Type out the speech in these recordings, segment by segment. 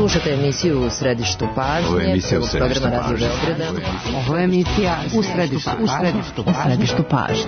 Slušate emisiju U središtu pažnje, programa Radio Beograda. Ovo je emisija U središtu pažnje.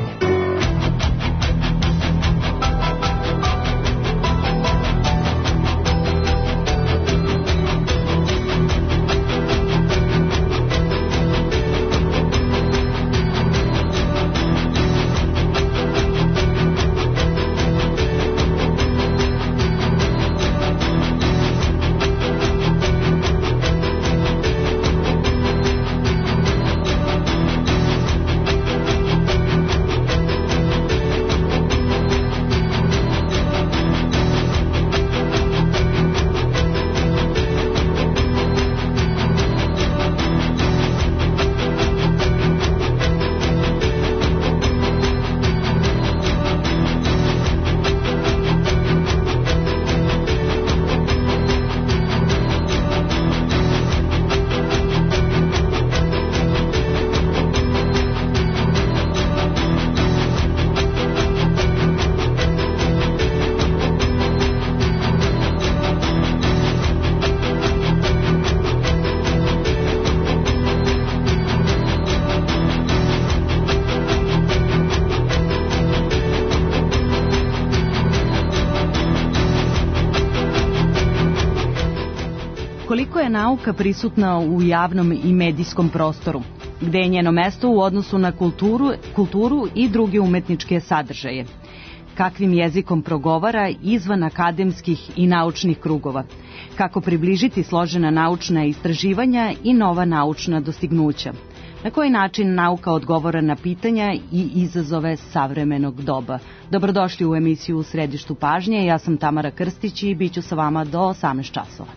Koliko je nauka prisutna u javnom i medijskom prostoru? Gde je njeno mesto u odnosu na kulturu i druge umetničke sadržaje? Kakvim jezikom progovara izvan akademskih i naučnih krugova? Kako približiti složena naučna istraživanja i nova naučna dostignuća? Na koji način nauka odgovara na pitanja i izazove savremenog doba? Dobrodošli u emisiju U središtu pažnje. Ja sam Tamara Krstić i bit ću sa vama do 18 časova.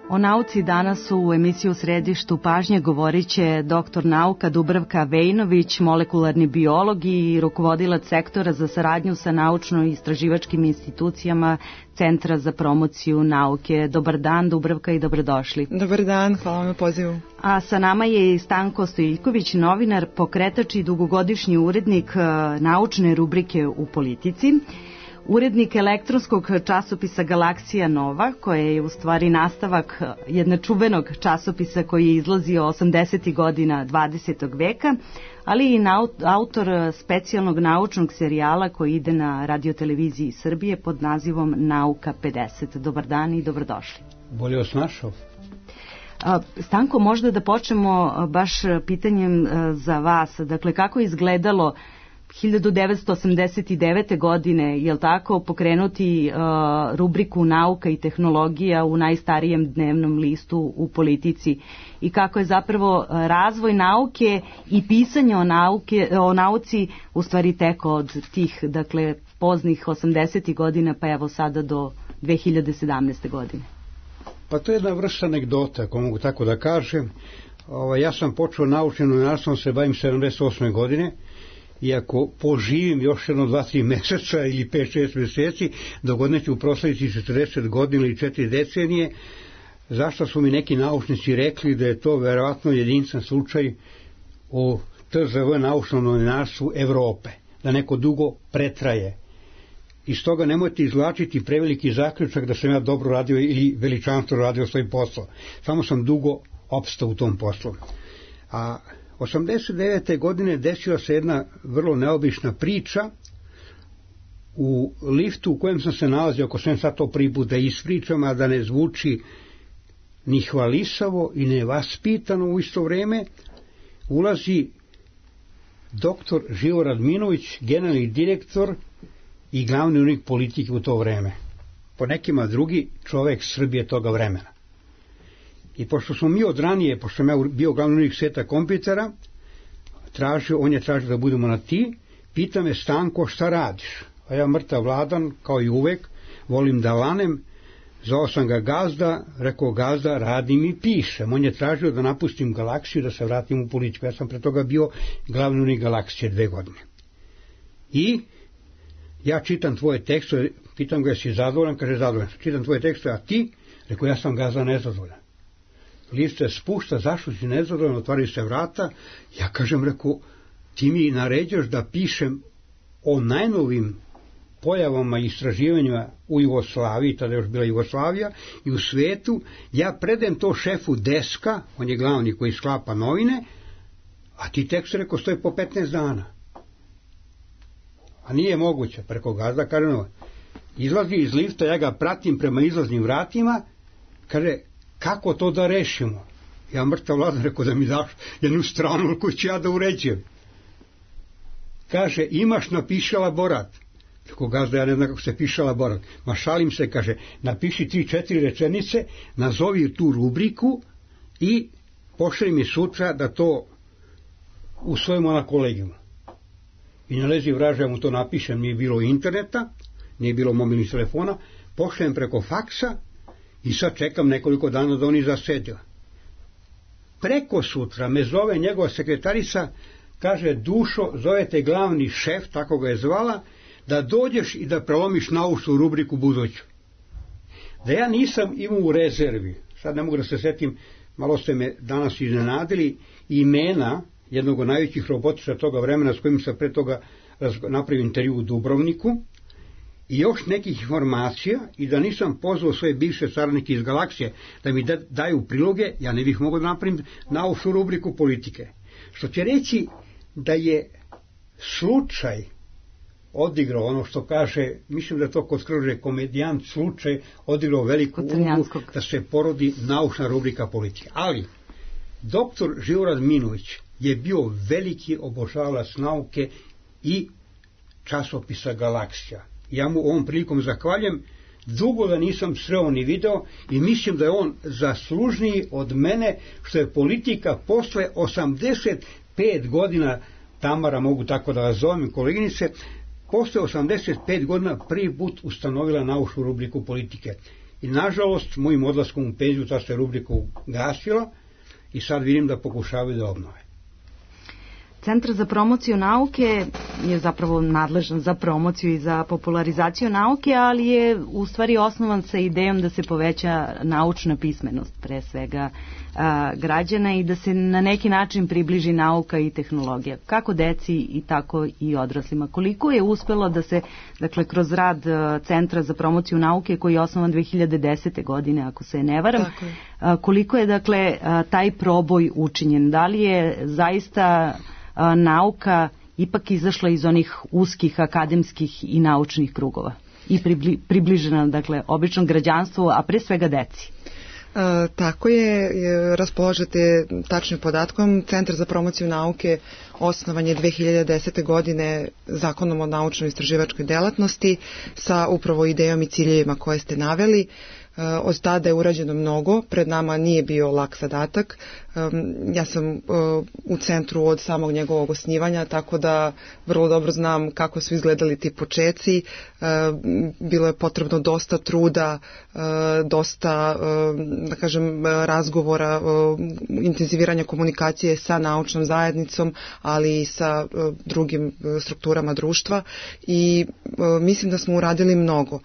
O nauci danas u emisiju U središtu pažnje govorit će doktor nauka Dubravka Vejnović, molekularni biolog i rukovodilac sektora za saradnju sa naučno-istraživačkim institucijama Centra za promociju nauke. Dobar dan, Dubravka, i dobrodošli. Dobar dan, hvala vam na pozivu. A sa nama je i Stanko Stojiljković, novinar, pokretač i dugogodišnji urednik naučne rubrike u Politici. Urednik elektronskog časopisa Galaksija Nova, koje je u stvari nastavak jednog čuvenog časopisa koji je izlazio 80. godina 20. veka, ali i autor specijalnog naučnog serijala koji ide na radioteleviziji Srbije pod nazivom Nauka 50. Dobar dan i dobrodošli. Bolje vas našao. Stanko, možda da počnemo baš pitanjem za vas. Dakle, kako je izgledalo 1989. godine, je li tako, pokrenuti rubriku Nauka i tehnologija u najstarijem dnevnom listu u Politici i kako je zapravo razvoj nauke i pisanje o nauci u stvari teko od tih, dakle, poznih 80. godina pa evo sada do 2017. godine? Pa to je jedna vrsta anegdota, ako mogu tako da kažem. Ja sam počeo naučnim novinarstvom, se bavim 78. godine. I ako poživim još jedno 2-3 meseca ili 5-6 meseci, dogodne ću proslaviti 40 godina ili 4 decenije, zašto su mi neki naučnici rekli da je to verovatno jedinstven slučaj u TZV naučnom novinarstvu Evrope, da neko dugo pretraje. I stoga nemojte izvlačiti preveliki zaključak da sam ja dobro radio ili veličanstveno radio svoj posao. Samo sam dugo opstao u tom poslu. A 89. godine desila se jedna vrlo neobična priča u liftu u kojem sam se nalazio, ako sam sad to prvi put da ispričam, a da ne zvuči ni hvalisavo i nevaspitano u isto vreme, ulazi doktor Živo Radminović, generalni direktor i glavni urednik Politike u to vreme. Po nekima drugi čovek Srbije toga vremena. I pošto smo mi od ranije, pošto sam ja bio glavni urednik sveta kompjutera, on je tražio da budemo na ti, pita me: Stanko, šta radiš? A ja mrtav vladan, kao i uvek, volim da lanem. Zvao sam ga Gazda, rekao Gazda, radim i pišem. On je tražio da napustim Galaksiju, da se vratim u politiku. Ja sam pre toga bio glavni urednik Galaksije 2 godine. I ja čitam tvoje tekstove, pitam ga jesi zadovoljan, kaže zadovoljan. Čitam tvoje tekstove, a ti? Rekao, ja sam Gazda nezadovoljan. List se spušta, zašto si nezadovoljan, otvaraju se vrata. Ja kažem, rekao, ti mi naređaš da pišem o najnovim pojavama i istraživanjima u Jugoslaviji, tada je još bila Jugoslavija, i u svetu. Ja predajem to šefu deska, on je glavni koji sklapa novine, a ti tekst, rekao, stoji po 15 dana. A nije moguće, preko Gazda, kaže, no, izlazi iz lifta, ja ga pratim prema izlaznim vratima, kaže, kako to da rešimo? Ja mrtav ladan, rekao, da mi daš jednu stranu koju ću ja da uređujem. Kaže, imaš, napiši elaborat. Rekao, Gazda, ja ne znam kako se piše elaborat. Ma šalim se, kaže, napiši 3-4 rečenice, nazovi tu rubriku i pošalji mi sutra da to usvojimo na kolegijumu. I na lezi vraže, ja mu to napišem, nije bilo interneta, nije bilo mobilnih telefona, pošaljem preko faksa i sad čekam nekoliko dana da oni zasede. Preko sutra me zove njegova sekretarica, kaže, Dušo, zovete glavni šef, tako ga je zvala, da dođeš i da prelomiš naučnu rubriku buduću. Da ja nisam imao u rezervi, sad ne mogu da se setim, malo ste me danas iznenadili, imena jednog od najvećih robotičara toga vremena s kojim sam pre toga napravio intervju u Dubrovniku i još nekih informacija, i da nisam pozvao svoje bivše saradnike iz Galaksije da mi daju priloge, ja ne bih mogao da napravim naučnu rubriku politike. Što će reći da je slučaj odigrao ono što kaže, mislim da to kod Skrože komedijant, slučaj odigrao veliku ulogu da se porodi naučna rubrika politike. Ali doktor Živorad Minović je bio veliki obožavalac nauke i časopisa Galaksija. Ja mu ovom prilikom zahvaljujem, dugo da nisam sreo ni video i mislim da je on zaslužniji od mene što je politika posle 85 godina, Tamara, mogu tako da vas zovem, koleginice, posle 85 godina prvi put ustanovila naučnu rubriku politike. I nažalost, mojim odlaskom u penziju ta se rubrika ugasila i sad vidim da pokušavaju da obnove. Centar za promociju nauke je zapravo nadležan za promociju i za popularizaciju nauke, ali je u stvari osnovan sa idejom da se poveća naučna pismenost, pre svega građana, i da se na neki način približi nauka i tehnologija, kako deci i tako i odraslima. Koliko je uspelo da se, dakle, kroz rad Centra za promociju nauke, koji je osnovan 2010. godine, ako se ne varam, koliko je, dakle, taj proboj učinjen? Da li je zaista nauka ipak izašla iz onih uskih akademskih i naučnih krugova i približena, dakle, običnom građanstvu, a pre svega deci? Tako je, raspolažete tačnim podatkom. Centar za promociju nauke osnovan je 2010. godine Zakonom o naučno-istraživačkoj delatnosti sa upravo idejom i ciljevima koje ste naveli. Od tada je urađeno mnogo, pred nama nije bio lak zadatak. Ja sam u centru od samog njegovog osnivanja, tako da vrlo dobro znam kako su izgledali ti počeci. Bilo je potrebno dosta truda, dosta, da kažem, razgovora, intenziviranja komunikacije sa naučnom zajednicom, ali i sa drugim strukturama društva, i mislim da smo uradili mnogo.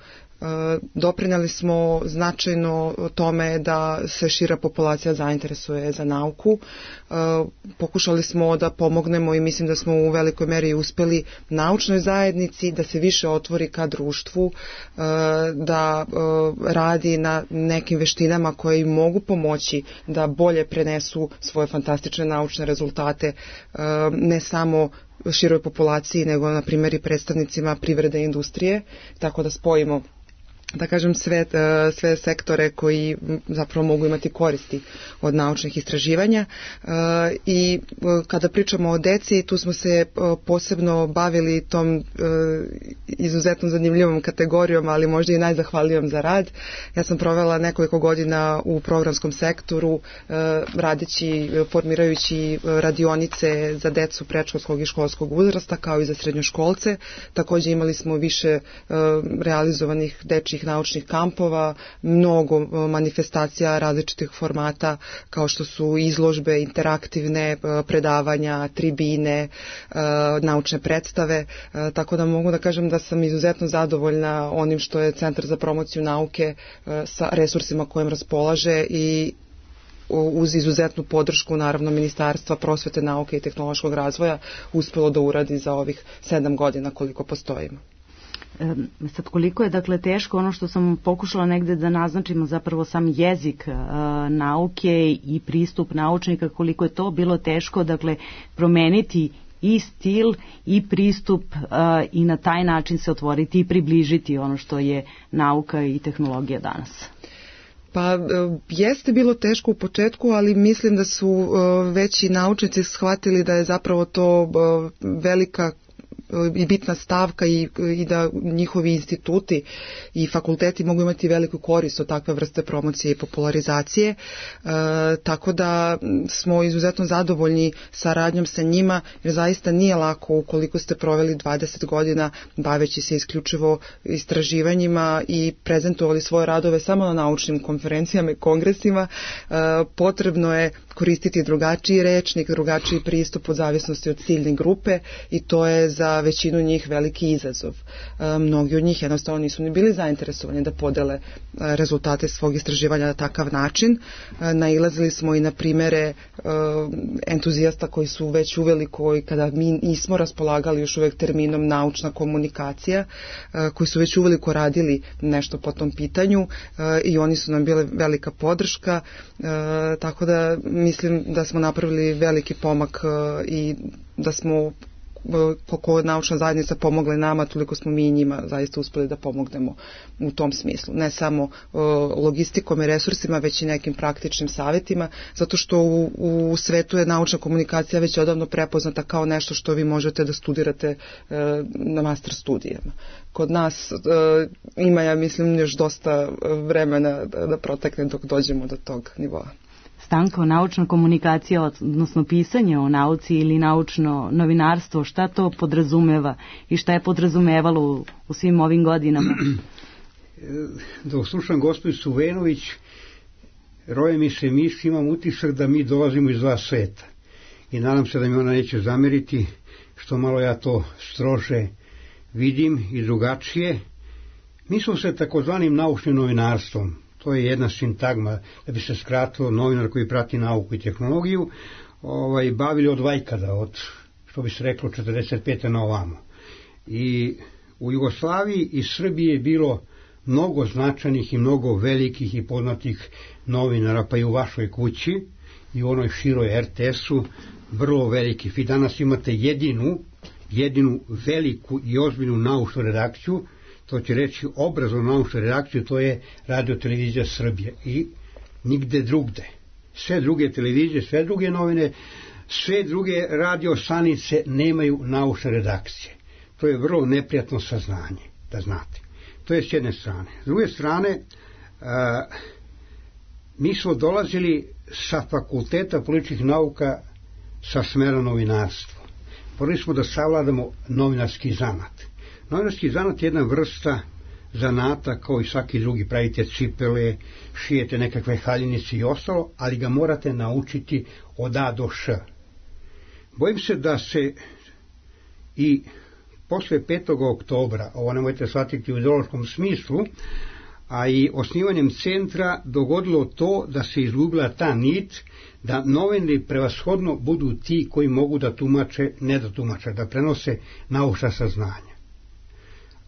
Doprineli smo značajno tome da se šira populacija zainteresuje za nauku. Pokušali smo da pomognemo i mislim da smo u velikoj meri uspeli naučnoj zajednici da se više otvori ka društvu, da radi na nekim veštinama koje im mogu pomoći da bolje prenesu svoje fantastične naučne rezultate, ne samo široj populaciji, nego na primjer i predstavnicima privrede i industrije, tako da spojimo, da kažem, sve sektore koji zapravo mogu imati koristi od naučnih istraživanja. I kada pričamo o deci, tu smo se posebno bavili tom izuzetno zanimljivom kategorijom, ali možda i najzahvalijom za rad. Ja sam provela nekoliko godina u programskom sektoru, radeći, formirajući radionice za decu predškolskog i školskog uzrasta, kao i za srednjoškolce. Također imali smo više realizovanih dečjih raznih naučnih kampova, mnogo manifestacija različitih formata kao što su izložbe, interaktivne predavanja, tribine, naučne predstave, tako da mogu da kažem da sam izuzetno zadovoljna onim što je Centar za promociju nauke sa resursima kojim raspolaže i uz izuzetnu podršku naravno Ministarstva prosvete, nauke i tehnološkog razvoja uspelo da uradi za ovih 7 godina koliko postojimo. Sad koliko je dakle teško, ono što sam pokušala negde da naznačimo zapravo sam jezik nauke i pristup naučnika, koliko je to bilo teško dakle promeniti i stil i pristup i na taj način se otvoriti i približiti ono što je nauka i tehnologija danas. Pa jeste bilo teško u početku, ali mislim da su već i naučnici shvatili da je zapravo to velika i bitna stavka i da njihovi instituti i fakulteti mogu imati veliku korist od takve vrste promocije i popularizacije, tako da smo izuzetno zadovoljni saradnjom sa njima, jer zaista nije lako ukoliko ste proveli 20 godina baveći se isključivo istraživanjima i prezentovali svoje radove samo na naučnim konferencijama i kongresima. Potrebno je koristiti drugačiji rečnik, drugačiji pristup od zavisnosti od ciljne grupe i to je za većinu njih veliki izazov. Mnogi od njih jednostavno nisu ni bili zainteresovani da podele rezultate svog istraživanja na takav način. Nailazili smo i na primere entuzijasta koji su već uveliko i kada mi nismo raspolagali još uvek terminom naučna komunikacija, koji su već uveliko radili nešto po tom pitanju i oni su nam bile velika podrška, tako da mislim da smo napravili veliki pomak i da smo koliko naučna zajednica pomogla nama, toliko smo mi i njima zaista uspeli da pomognemo u tom smislu. Ne samo logistikom i resursima, već i nekim praktičnim savjetima, zato što u svetu je naučna komunikacija već odavno prepoznata kao nešto što vi možete da studirate na master studijama. Kod nas ima, ja mislim, još dosta vremena da protekne dok dođemo do tog nivoa. Stanka, naučna komunikacija, odnosno pisanje o nauci ili naučno novinarstvo, šta to podrazumeva i šta je podrazumevalo u svim ovim godinama? Dok slušam gospođicu Venović, roje mi se misli, imam utisak da mi dolazimo iz dva sveta. I nadam se da mi ona neće zameriti, što malo ja to strože vidim i drugačije. Mi smo se takozvanim naučnim novinarstvom, to je jedna sintagma, da bi se skratilo novinar koji prati nauku i tehnologiju, bavili od vajkada, od, što bi se reklo, 45. na ovamo. I u Jugoslaviji i Srbiji je bilo mnogo značajnih i mnogo velikih i poznatih novinara, pa i u vašoj kući i u onoj široj RTS-u, vrlo velikih. Vi danas imate jedinu veliku i ozbiljnu naučnu redakciju, to će reći obrazovnu naučnu redakciju, to je Radio Televizija Srbije i nigde drugde. Sve druge televizije, sve druge novine, sve druge radio stanice nemaju naučne redakcije. To je vrlo neprijatno saznanje, da znate. To je s jedne strane. S druge strane, mi smo dolazili sa fakulteta političkih nauka sa smera novinarstva. Morali smo da savladamo novinarski zanat. Novinarski zanat je jedna vrsta zanata kao i svaki drugi, pravite cipele, šijete nekakve haljinice i ostalo, ali ga morate naučiti od A do Š. Bojim se da se i posle 5. oktobra, ovo nemojte shvatiti u ideološkom smislu, a i osnivanjem centra dogodilo to da se izgubila ta nit, da novinari prevashodno budu ti koji mogu da tumače, ne da tumače, da prenose naučna saznanja.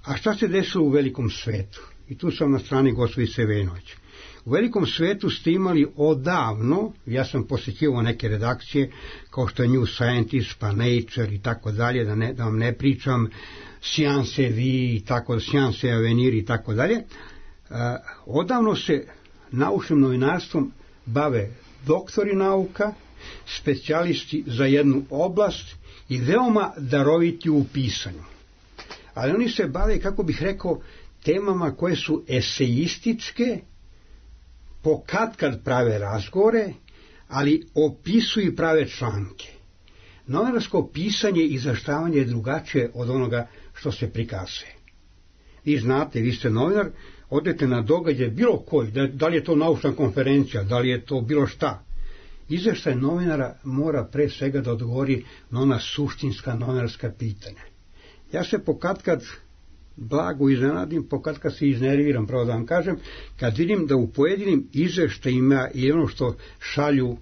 A šta se desilo u velikom svetu? I tu sam na strani gospođice Venović. U velikom svetu ste imali odavno, ja sam posjećivao neke redakcije, kao što je New Scientist, pa Nature i tako dalje, da vam ne pričam, Science Vi, Science Avenir i tako dalje. Odavno se naučnim novinarstvom bave doktori nauka, specijalisti za jednu oblast i veoma daroviti u pisanju. Ali oni se bave, kako bih rekao, temama koje su esejističke, kad prave razgovore, ali opisuju i prave članke. Novinarsko pisanje i izveštavanje je drugačije od onoga što se prikazuje. vi znate, vi ste novinar, odete na događaj bilo koji, da li je to naučna konferencija, da li je to bilo šta. Izveštaj novinara mora pre svega da odgovori na ona suštinska novinarska pitanja. Ja se pokatkad blago iznenadim, pokatkad se iznerviram, pravo da vam kažem, kad vidim da u pojedinim izveštajima i ono što šalju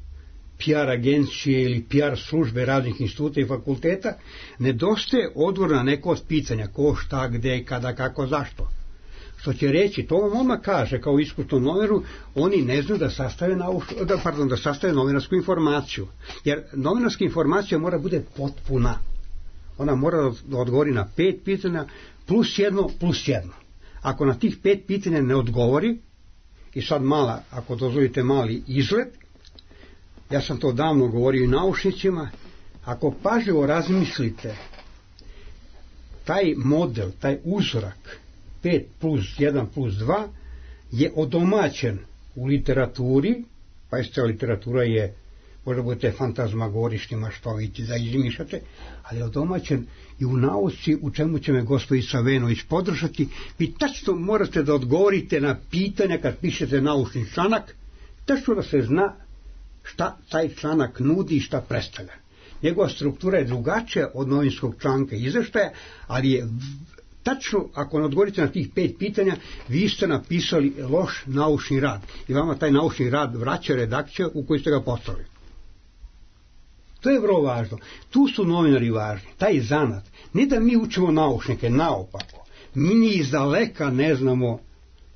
PR agencije ili PR službe raznih instituta i fakulteta, nedostaje odgovor na neko od pitanja, ko, šta, gde, kada, kako, zašto. Što će reći, to vam odmah kaže kao iskusnom novinaru, oni ne znaju da sastave novinarsku informaciju. Jer novinarska informacija mora bude potpuna. Ona mora da odgovori na 5 pitanja plus jedno. Ako na tih 5 pitanja ne odgovori, i sad ako dozvolite mali izlet, ja sam to davno govorio i naučnicima, ako pažljivo razmislite, taj model, taj uzorak 5 plus 1 plus 2 je odomaćen u literaturi, pa jeste literatura je, možda budete fantazmagorični maštoviti da izmišljate, ali je odomaćen i u nauci, u čemu će me gospođica Venović podržati. Vi tačno morate da odgovorite na pitanja kad pišete naučni članak, tačno da se zna šta taj članak nudi i šta predstavlja. Njegova struktura je drugačija od novinskog članka izveštaja, ali je tačno, ako ne odgovorite na tih 5 pitanja, vi ste napisali loš naučni rad i vama taj naučni rad vraća redakcija u koju ste ga poslali. To je vrlo važno. Tu su novinari važni, taj zanat. Ne da mi učimo naučnike, naopako. Mi ni izdaleka ne znamo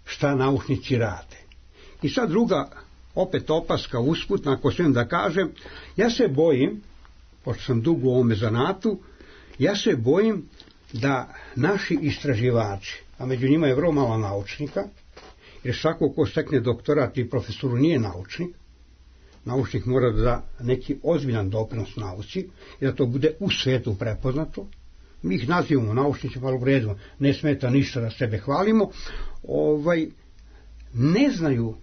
šta naučnici rade. I sad druga, opet opaska usputna, ako smijem da kažem, ja se bojim, pošto sam dugo u ovome zanatu, ja se bojim da naši istraživači, a među njima je vrlo malo naučnika, jer svako ko stekne doktorat i profesoru nije naučnik, naučnik mora da da neki ozbiljan doprinos nauci i da to bude u svetu prepoznato. Mi ih nazivamo naučnicima, ali u redu, ne smeta ništa da sebe hvalimo, ne znaju,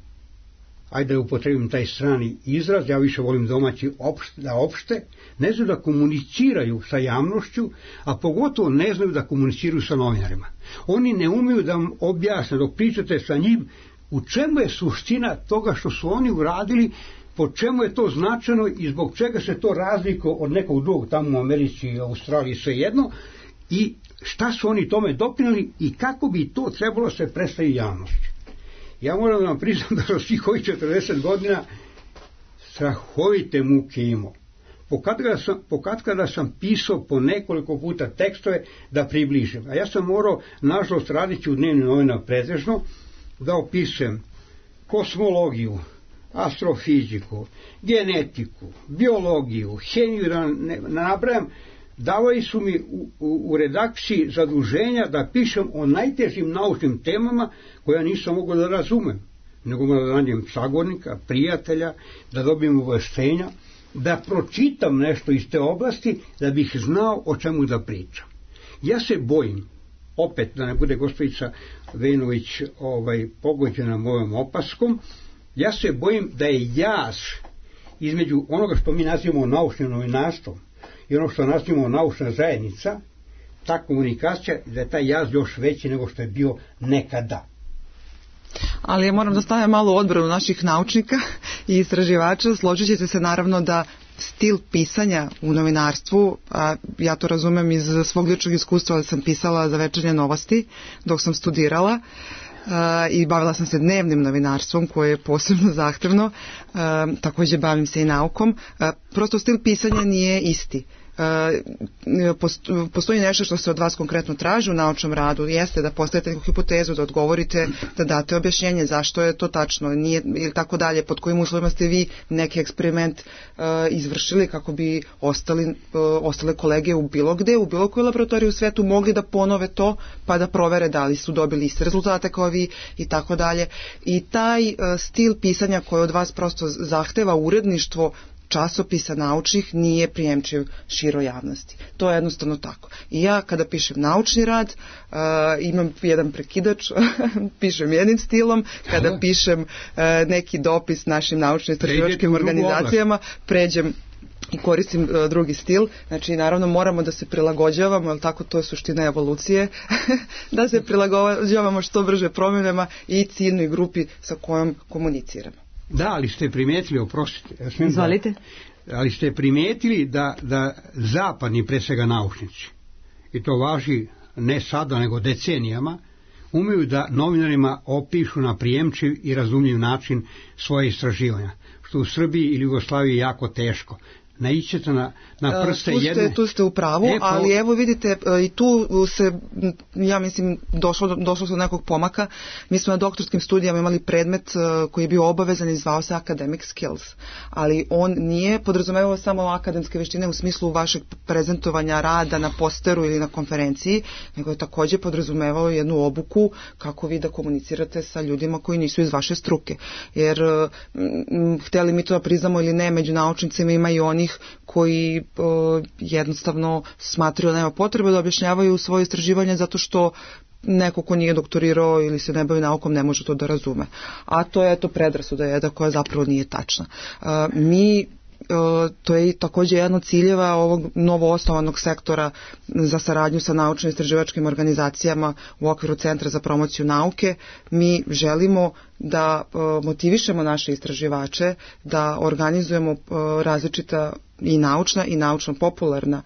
ajde da upotrebim taj strani izraz, ja više volim domaći da opšte, ne znaju da komuniciraju sa javnošću, a pogotovo ne znaju da komuniciraju sa novinarima. Oni ne umiju da vam objasne, dok pričate sa njim, u čemu je suština toga što su oni uradili, po čemu je to značajno i zbog čega se to razlikuje od nekog drugog tamo u Americi i Australiji svejedno i šta su oni tome doprinijeli i kako bi to trebalo se predstaviti javnosti. Ja moram da vam priznam da sam svih ovih 40 godina strahovite muke imao. Pokatkada sam pisao po nekoliko puta tekstove da približim. A ja sam morao, nažalost, raditi u dnevnim novinama pretežno, da opisujem kosmologiju, astrofiziku, genetiku, biologiju, hemiju, da ne nabrajam. Davali su mi u redakciji zaduženja da pišem o najtežim naučnim temama koja nisam mogao da razumem, nego da nađem sagovornika, prijatelja, da dobijem obaveštenja, da pročitam nešto iz te oblasti, da bih znao o čemu da pričam. Ja se bojim, opet da ne bude gospođica Venović pogođena mojom opaskom, ja se bojim da je jaz između onoga što mi nazivamo naučnim novinarstvom i ono što nazivamo naučna zajednica, ta komunikacija, da je taj jaz još veći nego što je bio nekada. Ali ja moram da stavim malo u odbranu naših naučnika i istraživača. Složit ćete se naravno da stil pisanja u novinarstvu, a ja to razumem iz svog ličnog iskustva, ali sam pisala za Večernje novosti dok sam studirala, i bavila sam se dnevnim novinarstvom koje je posebno zahtevno, također bavim se i naukom. Prosto stil pisanja nije isti. Postoji nešto što se od vas konkretno traži u naučnom radu, jeste da postavite neku hipotezu, da odgovorite, da date objašnjenje zašto je to tačno, nije, ili tako dalje, pod kojim uslovima ste vi neki eksperiment izvršili kako bi ostale kolege u bilo gde, u bilo kojoj laboratoriji u svetu mogli da ponove to pa da provere da li su dobili iste rezultate kao vi i tako dalje. I taj stil pisanja koji od vas prosto zahteva uredništvo časopisa naučnih nije prijemčiv široj javnosti. To je jednostavno tako. I ja kada pišem naučni rad, imam jedan prekidač, pišem jednim stilom, kada pišem neki dopis našim naučno-istraživačkim organizacijama, pređem i koristim drugi stil, znači naravno moramo da se prilagođavamo, jer tako to je suština evolucije, da se prilagođavamo što brže promjenama i ciljnoj grupi sa kojom komuniciramo. Da, ali ste primijetili, oprostite. Izvolite. Ali ste primijetili da zapadni, pre svega naučnici, i to važi ne sada nego decenijama, umeju da novinarima opišu na prijemčiv i razumljiv način svoje istraživanja, što u Srbiji ili Jugoslaviji je jako teško. Naićete na prste jedne... Tu ste u pravu, ali evo vidite, i tu se, ja mislim, došlo se do nekog pomaka. Mi smo na doktorskim studijama imali predmet koji je bio obavezan i zvao se Academic Skills, ali on nije podrazumevao samo akademske veštine u smislu vašeg prezentovanja rada na posteru ili na konferenciji, nego je također podrazumevao jednu obuku kako vi da komunicirate sa ljudima koji nisu iz vaše struke. Jer, htjeli mi to da priznamo ili ne, među naučnicima ima i onih koji jednostavno smatraju da nema potrebe da objašnjavaju svoje istraživanje zato što neko ko nije doktorirao ili se ne bavi naukom ne može to da razume. A to je predrasuda jedna koja zapravo nije tačna. To je također jedan od ciljeva ovog novoosnovanog sektora za saradnju sa naučno-istraživačkim organizacijama u okviru Centra za promociju nauke. Mi želimo da motivišemo naše istraživače, da organizujemo različita i naučna i naučno-popularna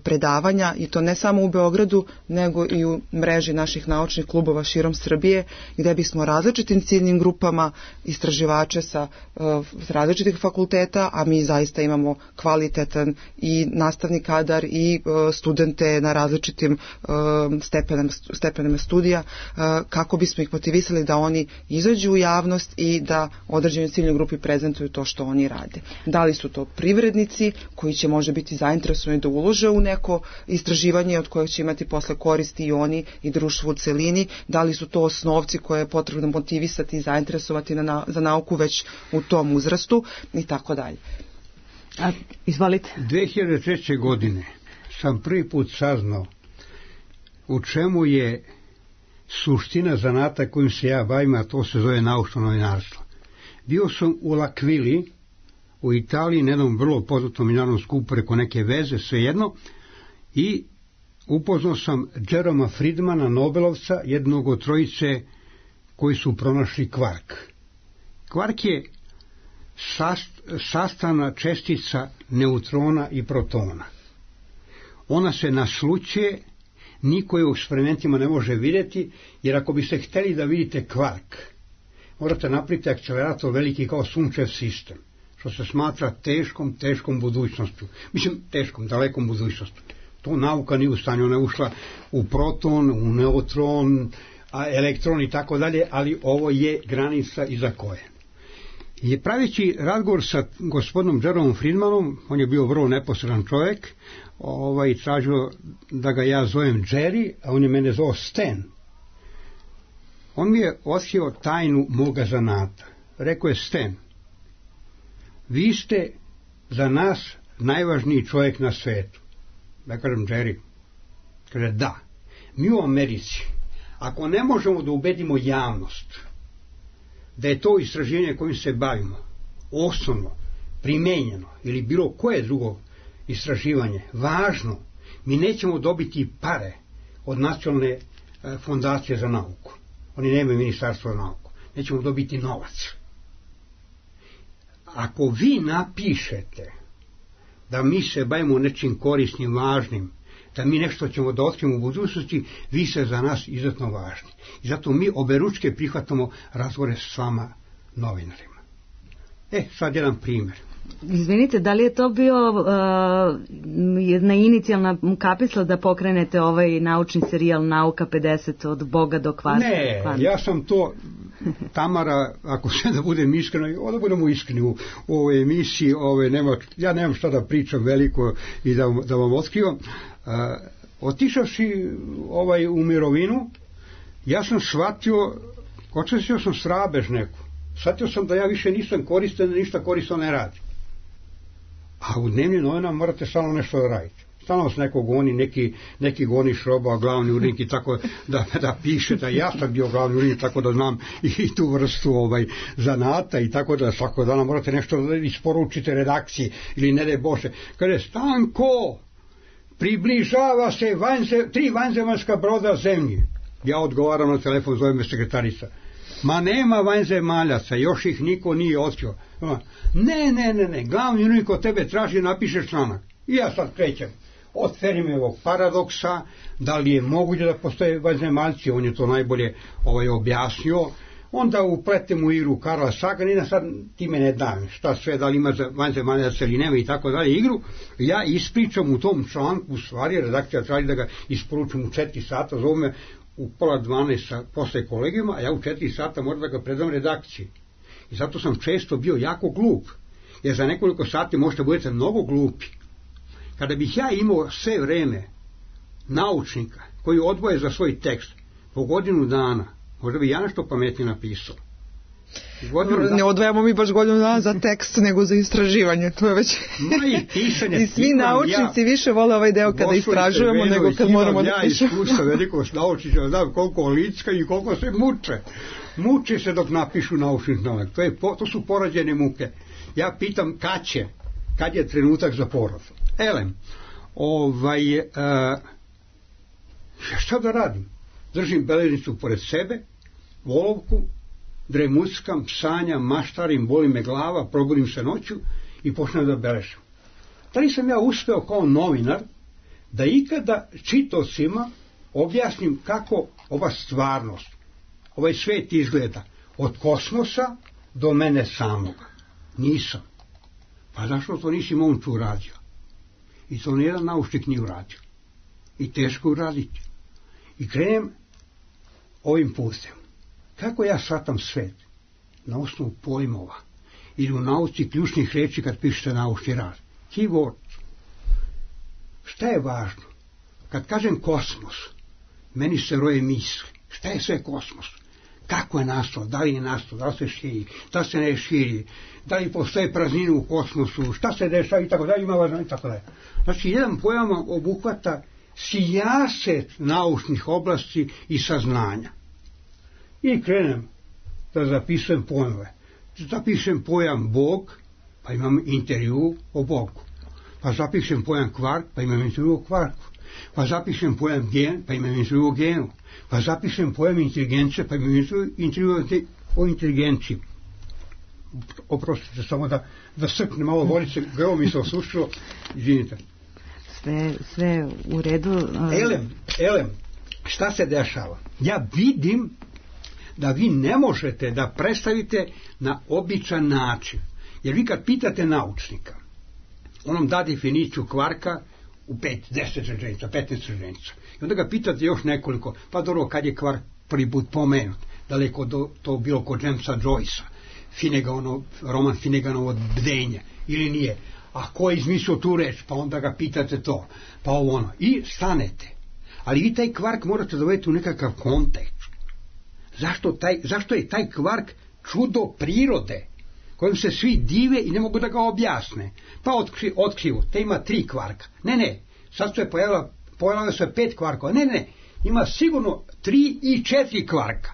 predavanja, i to ne samo u Beogradu, nego i u mreži naših naučnih klubova širom Srbije, gdje bismo različitim ciljnim grupama istraživače sa različitih fakulteta, a mi zaista imamo kvalitetan i nastavni kadar i studente na različitim stepenama studija, kako bismo ih motivisali da oni izađu u javnost i da određenoj ciljnoj grupi prezentuju to što oni rade. Da li su to privrednici koji će možda biti zainteresovani da ulože u neko istraživanje od kojeg će imati posle koristi i oni i društvo u celini, da li su to osnovci koje je potrebno motivisati i zainteresovati za nauku već u tom uzrastu i tako dalje. Izvolite. 2003. godine sam prvi put saznao u čemu je suština zanata kojim se ja bavim, a to se zove naučno novinarstvo. Bio sam u L'Aquili u Italiji na jednom vrlo poznatom međunarodnom skupu preko neke veze, svejedno, i upoznao sam Jeroma Friedmana, Nobelovca, jednog od trojice koji su pronašli kvark. Kvark je sastavna čestica neutrona i protona. Ona se naslućuje, niko je u eksperimentima ne može vidjeti, jer ako biste htjeli da vidite kvark, morate napraviti akcelerator veliki kao sunčev sistem, što se smatra teškom budućnošću. Mislim, dalekom budućnošću. To nauka nije u stanju, ona je ušla u proton, u neutron, elektron i tako dalje, ali ovo je granica iza koje. I pravići razgovor sa gospodinom Jeromom Friedmanom, on je bio vrlo neposredan čovjek, tražio da ga ja zovem Jerry, a on je mene zvao Stan. On mi je otkrio tajnu moga zanata. Rekao je: Stan, vi ste za nas najvažniji čovjek na svijetu. Ja kažem: Jerry. Kaže: da. Mi u Americi, ako ne možemo da ubedimo javnost da je to istraživanje kojim se bavimo osnovno, primenjeno ili bilo koje drugo istraživanje važno, mi nećemo dobiti pare od nacionalne fondacije za nauku. Oni nemaju ministarstvo za nauku. Nećemo dobiti novac. Ako vi napišete da mi se bavimo nečim korisnim, važnim, da mi nešto ćemo da otkrijemo u budućnosti, vi ste za nas izuzetno važni. I zato mi oberučke prihvatamo razgovore s vama novinarima. Sad jedan primjer. Izvinite, da li je to bio jedna inicijalna kapisla da pokrenete ovaj naučni serijal Nauka 50 od Boga do kvanta? Ne, ja sam to, Tamara, ako se da budem iskreno, onda budemo iskreni u ovoj emisiji, ja nemam šta da pričam veliko i da vam otkrivam. Otišavši u mirovinu, ja sam shvatio, očestio sam srabež neku. Shvatio sam da ja više nisam koristan, ništa korisno ne radim. A u dnevnim novinama morate stalno nešto da radite. Stalno s nekog goni, neki goni šroba, glavni urednik i tako da piše da ja sam bio glavni urednik, tako da znam i tu vrstu zanata i tako da svakog dana morate nešto isporučite redakciji ili ne daj Bože. Kaže, Stanko, približava se 3 vanzemaljska broda zemlji. Ja odgovaram na telefon, zove me sekretarica. Ma nema vanzemaljaca, još ih niko nije otkrio. Ne, glavni urednik od tebe traži, napišeš članak. I ja sad krećem od Fermiovog paradoksa, da li je moguće da postoje vanzemaljci, on je to najbolje objasnio, onda upletem u igru Karla Saganina, sad ti me ne dam, šta sve, da li ima vanzemaljaca ili nema i tako dalje igru, ja ispričam u tom članku, u stvari redakcija traži da ga isporučim u 4 sata, zove me u 11:30 posle kolegijuma, a ja u 4 sata moram da ga predam redakciji. I zato sam često bio jako glup, jer za nekoliko sati možete budete mnogo glupi. Kada bih ja imao sve vreme naučnika koji odvoje za svoj tekst po godinu dana, možda bi ja nešto pametnije napisao. Ne odvajamo mi baš godinu dana za tekst nego za istraživanje, to je već i svi naučnici više vole ovaj deo kada istražujemo nego kad moramo da pišemo. Ja iskustva velikog naučnika, znam koliko licka i koliko se muče se dok napišu naučni članak, to su porađene muke. Ja pitam kad je trenutak za porod. Šta da radim? Držim beležnicu pored sebe, olovku, dremuckam, sanjam, maštarim, boli me glava, probudim se noću i počnem da beležim. Da li sam ja uspeo kao novinar da ikada čitaocima objasnim kako ova stvarnost, ovaj svet izgleda od kosmosa do mene samoga? Nisam. Pa zašto to nisi momču uradio? I to nijedan naučnik nije uradio. I teško uraditi. I krenem ovim putem. Kako ja shvatam svet? Na osnovu pojmova. Ili u nauci ključnih reči kad pišete naučni rad. Keyword. Šta je važno? Kad kažem kosmos, meni se roje misli. Šta je sve kosmos? Kako je nastao? Da li je nastao? Da li se širi? Da se ne širi? Da li postoje praznine u kosmosu? Šta se dešava? I tako dalje. Ima važno i tako dalje. Znači, jedan pojam obuhvata sijaset naučnih oblasti i saznanja. I krenem da zapisujem pojmove. Zapišem pojam Bog, pa imam intervju o Bogu. Pa zapišem pojam kvark, pa imam intervju o kvarku. Pa zapišem pojam gen, pa imam intervju o genu. Pa zapišem pojam inteligencije, pa imam intervju o inteligenciji. Oprostite, samo da srpne malo vodice, grlo mi se osušilo, izvinite. Sve u redu. Elem, šta se dešava? Ja vidim da vi ne možete da predstavite na običan način. Jer vi kad pitate naučnika, on vam da definiciju kvarka u 5, 10 rečenica, 15 rečenica. I onda ga pitate još nekoliko, pa dobro, kad je kvark prvi put pomenut, da li je to bilo kod Jamesa Joycea, roman Finneganovo Bdenje, ili nije. A ko je izmislio tu reč, pa onda ga pitate to, pa ono. I stanete. Ali vi taj kvark morate dovedeti u nekakav kontekst. Zašto je taj kvark čudo prirode, kojim se svi dive i ne mogu da ga objasne? Pa otkriju, te ima 3 kvarka. Ne, sad se pojavilo se 5 kvarkova. Ne, ima sigurno 3 i 4 kvarka.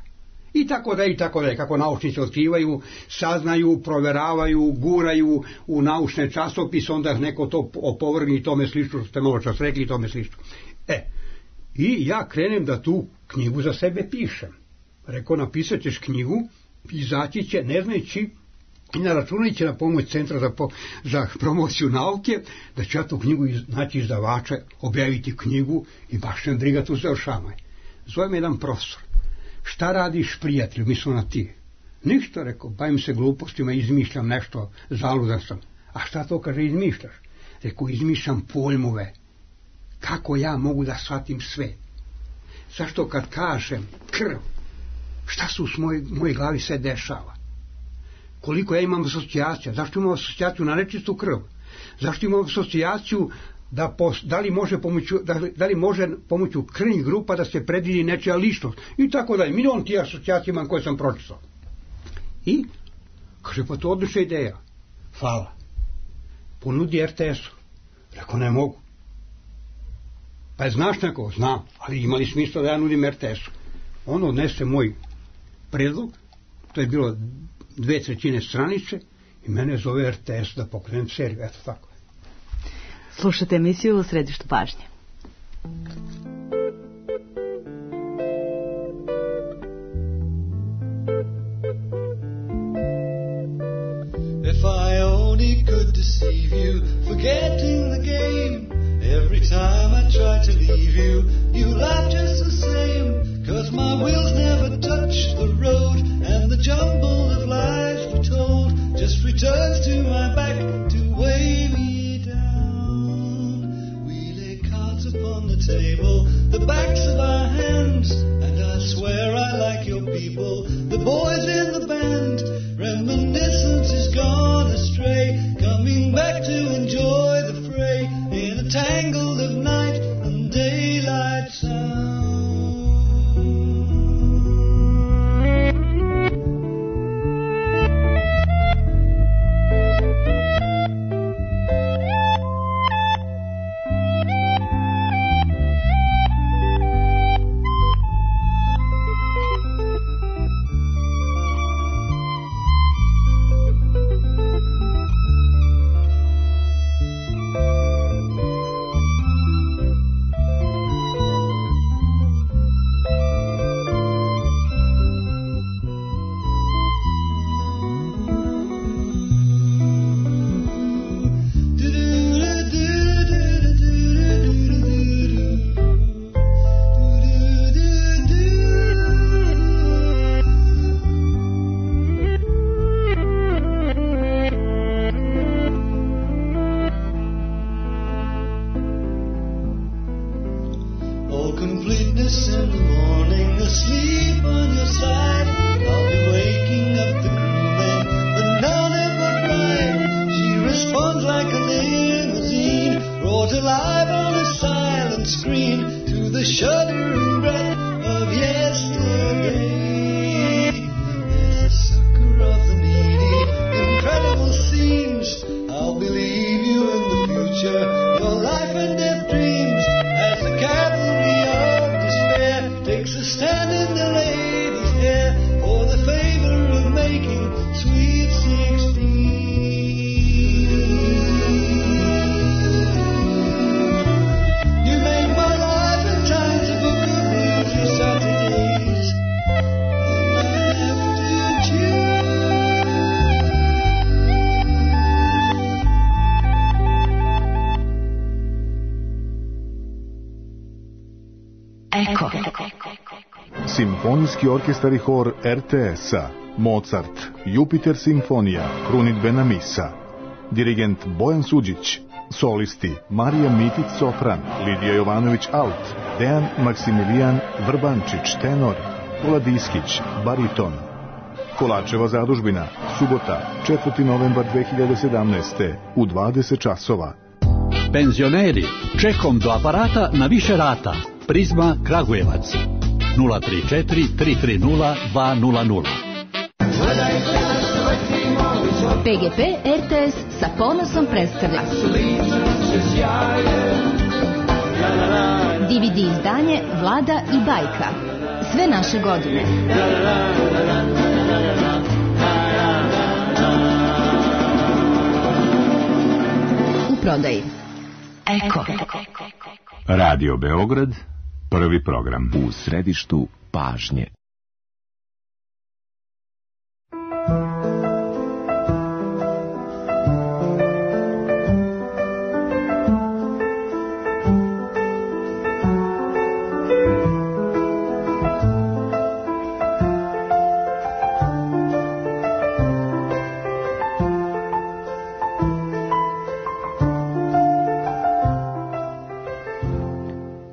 I tako dalje, kako naučnici otkrivaju, saznaju, proveravaju, guraju u naučne časopise, onda neko to opovrgne i tome slično, što ste malo čas rekli i tome slično. I ja krenem da tu knjigu za sebe pišem. Rekao, napisat ćeš knjigu, izaći će, ne znajući, i naračunajući na pomoć Centra za promociju nauke, da ću ja tu knjigu naći izdavača, objaviti knjigu i baš ne briga tu završavanje. Zove me jedan profesor. Šta radiš, prijatelju, mislim na ti? Ništa, rekao, bavim se glupostima, izmišljam nešto, zaludan sam. A šta to kaže izmišljaš? Rekao, izmišljam pojmove. Kako ja mogu da shvatim sve? Zašto kad kažem krv, šta se u mojoj glavi sve dešava? Koliko ja imam asocijacija? Zašto imam asocijaciju na nečistu krv? Zašto imam asocijaciju da li može pomoću krvnih grupa da se predvidi nečija ličnost? I tako dalje. Milion tih asocijacija imam koje sam pročitao. I kaže, pa to odlična ideja. Hvala. Ponudi RTS-u. Rekao, ne mogu. Pa je znaš neko? Znam, ali imali smisla da ja nudim RTS-u. On odnese moj predlog, to je bilo 2/3 stranice i mene zove RTS da pokrenem seriju, eto tako. Slušate emisiju U središtu pažnje. If I only could deceive you, forgetting the game. Every time I try to leave you, you laugh just the same. 'Cause my wheels never touch the road, and the jumble of lies we told just returns to my back to weigh me down. We lay cards upon the table, the backs of our hands, and I swear I like your people, the boys in the band. Reminiscence is gone astray, coming back to enjoy the fray in a tangle of night and daylight sound. Simfonijski orkestar i hor RTS-a, Mozart, Jupiter simfonija, krunidbena misa. Dirigent Bojan Suđić, solisti Marija Mitić sopran, Lidija Jovanović alt, Dejan Maksimilijan Vrbančić tenor, Vladiskić bariton. Kolačeva zadužbina, subota, 4. novembar 2017. u 20 časova. Penzioneri, čekom do aparata na više rata. Prizma Kragujevac 034 330 200. PGP RTS sa ponosom predstavlja DVD izdanje Vlada i bajka. Sve naše godine. U prodaji. Eko. Radio Beograd, prvi program. U središtu pažnje.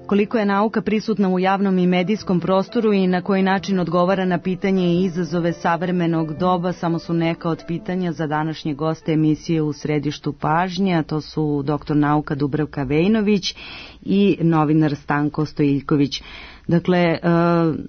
Koliko je nauka prisutna u javnom i medijskom prostoru i na koji način odgovara na pitanje i izazove savremenog doba, samo su neka od pitanja za današnje goste emisije U središtu pažnje, a to su doktor nauka Dubravka Vejnović i novinar Stanko Stojiljković. Dakle,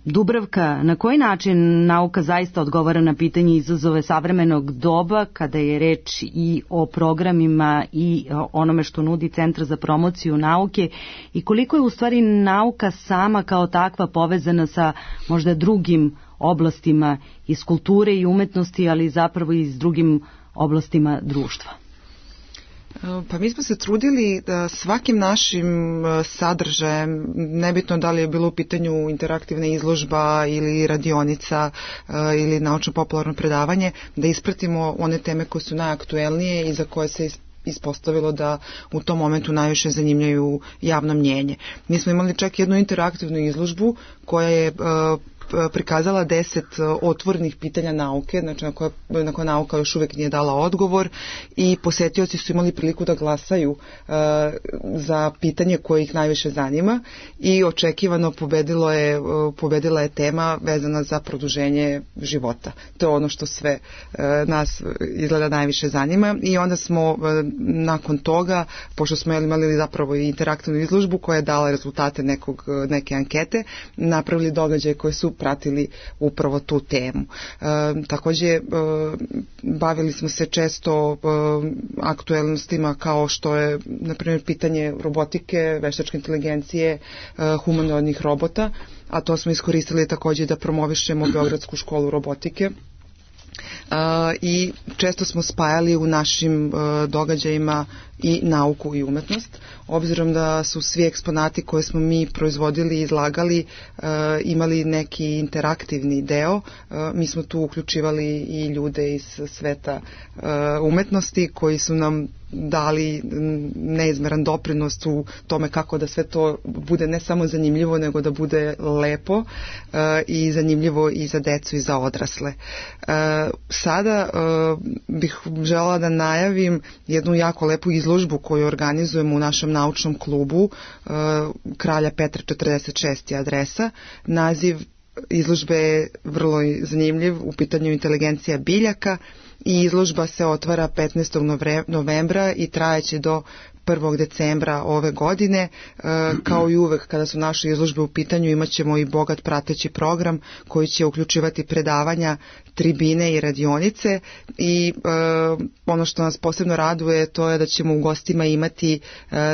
Dubravka, na koji način nauka zaista odgovara na pitanje izazove savremenog doba kada je reč i o programima i onome što nudi Centar za promociju nauke i koliko je u stvari nauka sama kao takva povezana sa možda drugim oblastima iz kulture i umetnosti, ali zapravo i s drugim oblastima društva? Pa mi smo se trudili da svakim našim sadržajem, nebitno da li je bilo u pitanju interaktivna izložba ili radionica ili naučno-popularno predavanje, da ispratimo one teme koje su najaktuelnije i za koje se ispostavilo da u tom momentu najviše zanimljaju javno mnjenje. Mi smo imali čak jednu interaktivnu izložbu koja je prikazala 10 otvorenih pitanja nauke, znači na koje nauka još uvijek nije dala odgovor i posetioci su imali priliku da glasaju za pitanje koje ih najviše zanima i očekivano pobedila je tema vezana za produženje života. To je ono što sve nas izgleda najviše zanima i onda smo nakon toga, pošto smo imali zapravo i interaktivnu izložbu koja je dala rezultate neke ankete, napravili događaje koje su pratili upravo tu temu. Također bavili smo se često aktuelnostima kao što je na primjer pitanje robotike, veštačke inteligencije, humanoidnih robota, a to smo iskoristili također da promovišemo Beogradsku školu robotike. I često smo spajali u našim događajima i nauku i umetnost, obzirom da su svi eksponati koje smo mi proizvodili i izlagali imali neki interaktivni deo. Mi smo tu uključivali i ljude iz sveta umetnosti koji su nam dali neizmeran doprinos u tome kako da sve to bude ne samo zanimljivo, nego da bude lepo i zanimljivo i za decu i za odrasle. Sada bih želela da najavim jednu jako lepu izložbu koju organizujemo u našem naučnom klubu Kralja Petra 46. adresa. Naziv izložbe je vrlo zanimljiv, u pitanju inteligencija biljaka i izložba se otvara 15. novembra i trajeće do 1. decembra ove godine. Kao i uvek kada su naše izložbe u pitanju imat ćemo i bogat prateći program koji će uključivati predavanja, tribine i radionice i ono što nas posebno raduje to je da ćemo u gostima imati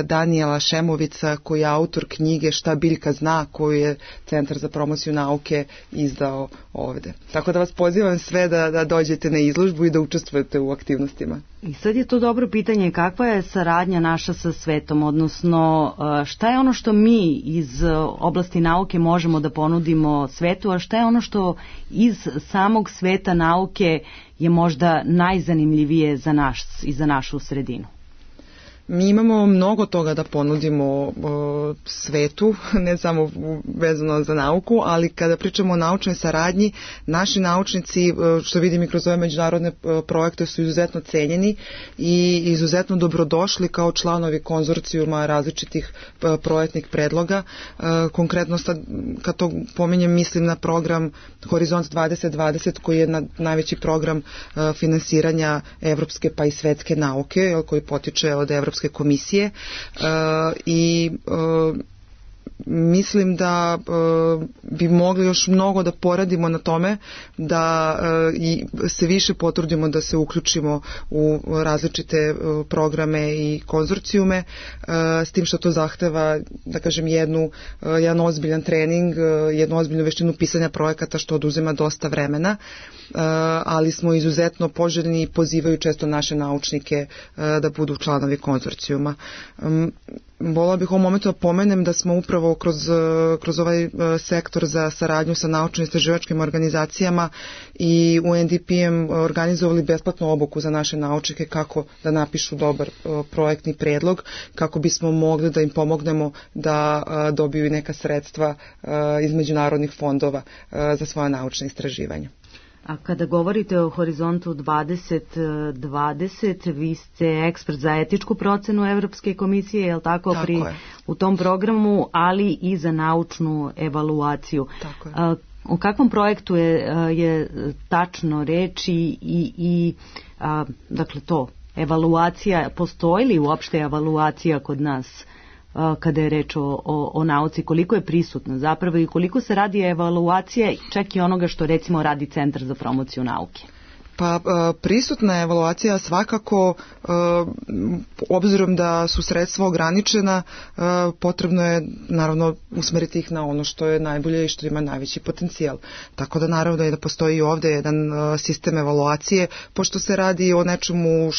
Danijela Šemovica koji je autor knjige Šta biljka zna koju je Centar za promociju nauke izdao ovde. Tako da vas pozivam sve da dođete na izložbu i da učestvujete u aktivnostima. I sad je to dobro pitanje, kakva je saradnja naša sa svetom, odnosno šta je ono što mi iz oblasti nauke možemo da ponudimo svetu, a šta je ono što iz samog sveta nauke je možda najzanimljivije za nas i za našu sredinu? Mi imamo mnogo toga da ponudimo svetu, ne samo vezano za nauku, ali kada pričamo o naučnoj saradnji, naši naučnici, što vidim i kroz ove međunarodne projekte, su izuzetno cenjeni i izuzetno dobrodošli kao članovi konzorcijuma različitih projektnih predloga. Konkretno, kad to pominjem, mislim na program Horizont 2020, koji je najveći program finansiranja evropske pa i svetske nauke, koji potiče od Evropske komisije i mislim da bi mogli još mnogo da poradimo na tome da i se više potrudimo da se uključimo u različite programe i konzorcijume, s tim što to zahteva, da kažem, jedan ozbiljan trening, jednu ozbiljnu veštinu pisanja projekata što oduzima dosta vremena, ali smo izuzetno poželjni i pozivaju često naše naučnike da budu članovi konzorcijuma. Volela bih u ovom momentu da pomenem da smo upravo kroz ovaj sektor za saradnju sa naučno-istraživačkim organizacijama i UNDP-em organizovali besplatnu obuku za naše naučnike kako da napišu dobar projektni predlog, kako bismo mogli da im pomognemo da dobiju i neka sredstva iz međunarodnih fondova za svoje naučne istraživanja. A kada govorite o Horizontu 2020, vi ste ekspert za etičku procenu Evropske komisije, je li tako? Tako je. U tom programu, ali i za naučnu evaluaciju. Tako je. O kakvom projektu je tačno reč i dakle to, evaluacija, postoji li uopšte evaluacija kod nas kada je reč o nauci, koliko je prisutna zapravo i koliko se radi evaluacija čak i onoga što recimo radi Centar za promociju nauke? Pa prisutna evaluacija svakako, obzirom da su sredstva ograničena, potrebno je naravno usmeriti ih na ono što je najbolje i što ima najveći potencijal. Tako da naravno je da postoji ovde jedan sistem evaluacije, pošto se radi o nečemu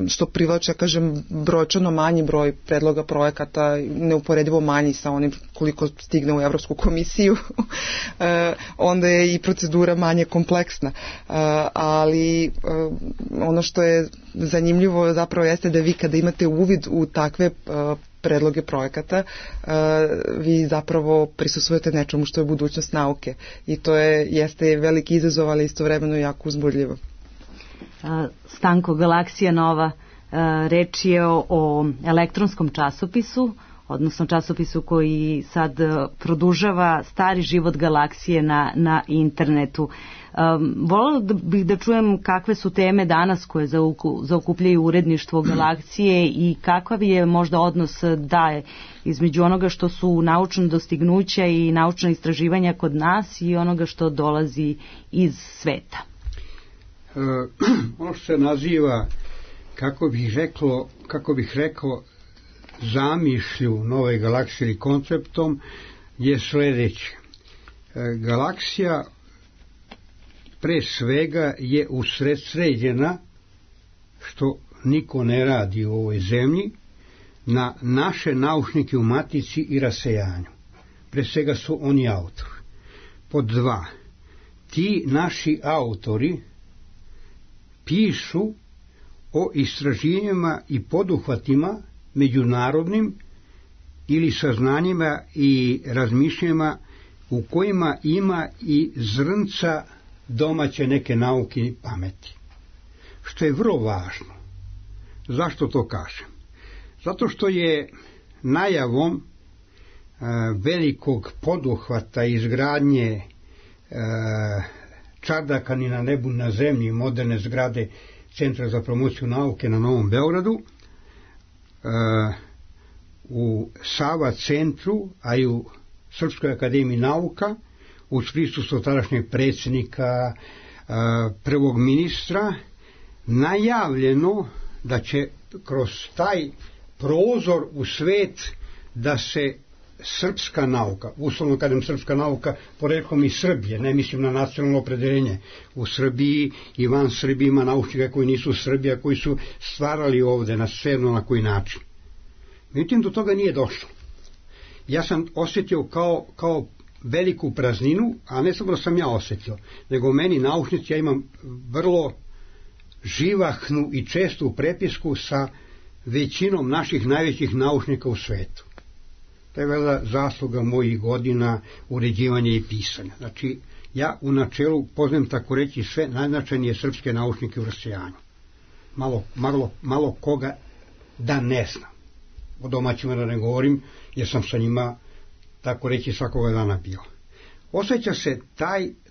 što privlače, kažem, brojčano manji broj predloga projekata, neuporedivo manji sa onim koliko stigne u Evropsku komisiju, onda je i procedura manje kompleksna. Ali ono što je zanimljivo zapravo jeste da vi kada imate uvid u takve predloge projekata, vi zapravo prisustvujete nečemu što je budućnost nauke i to jeste veliki izazov, ali istovremeno jako uzbudljivo. Stanko, Galaksija Nova, reč je o elektronskom časopisu, odnosno časopisu koji sad produžava stari život galaksije na internetu. Voljela bih da čujem kakve su teme danas koje zaokupljaju uredništvo Galaksije i kakav je možda odnos daje između onoga što su naučna dostignuća i naučna istraživanja kod nas i onoga što dolazi iz sveta. Ono što se naziva, kako bih rekao, zamišlju nove galaksije ili konceptom je sledeće. Galaksija pre svega je usredsređena, što niko ne radi u ovoj zemlji, na naše naučnike u matici i rasejanju. Pre svega su oni autori. Pod 2. Ti naši autori pišu o istraživanjima i poduhvatima međunarodnim ili saznanjima i razmišljanjima u kojima ima i zrnca domaće neke nauke i pameti. Što je vrlo važno. Zašto to kažem? Zato što je najavom velikog poduhvata izgradnje čardaka ni na nebu, na zemlji, moderne zgrade Centra za promociju nauke na Novom Beogradu, u Sava centru, a i u Srpskoj akademiji nauka, uz prisustvo tadašnjeg predsjednika, prvog ministra, najavljeno da će kroz taj prozor u svet da se srpska nauka, uslovno kažem srpska nauka, poreklom iz Srbije, ne mislim na nacionalno opredeljenje, u Srbiji i van Srbije ima naučnika koji nisu Srbija, koji su stvarali ovde na sve na koji način. Međutim, do toga nije došlo. Ja sam osjetio kao veliku prazninu, a ne samo da sam ja osjetio, nego meni naučnici, ja imam vrlo živahnu i čestu prepisku sa većinom naših najvećih naučnika u svetu. To je vela zasluga mojih godina uređivanja i pisanja. Znači, ja u načelu poznajem tako reći sve najznačajnije srpske naučnike u rasejanju. Malo koga da ne znam. O domaćima da ne govorim, jer sam sa njima tako reći svakoga dana bio. Osjeća se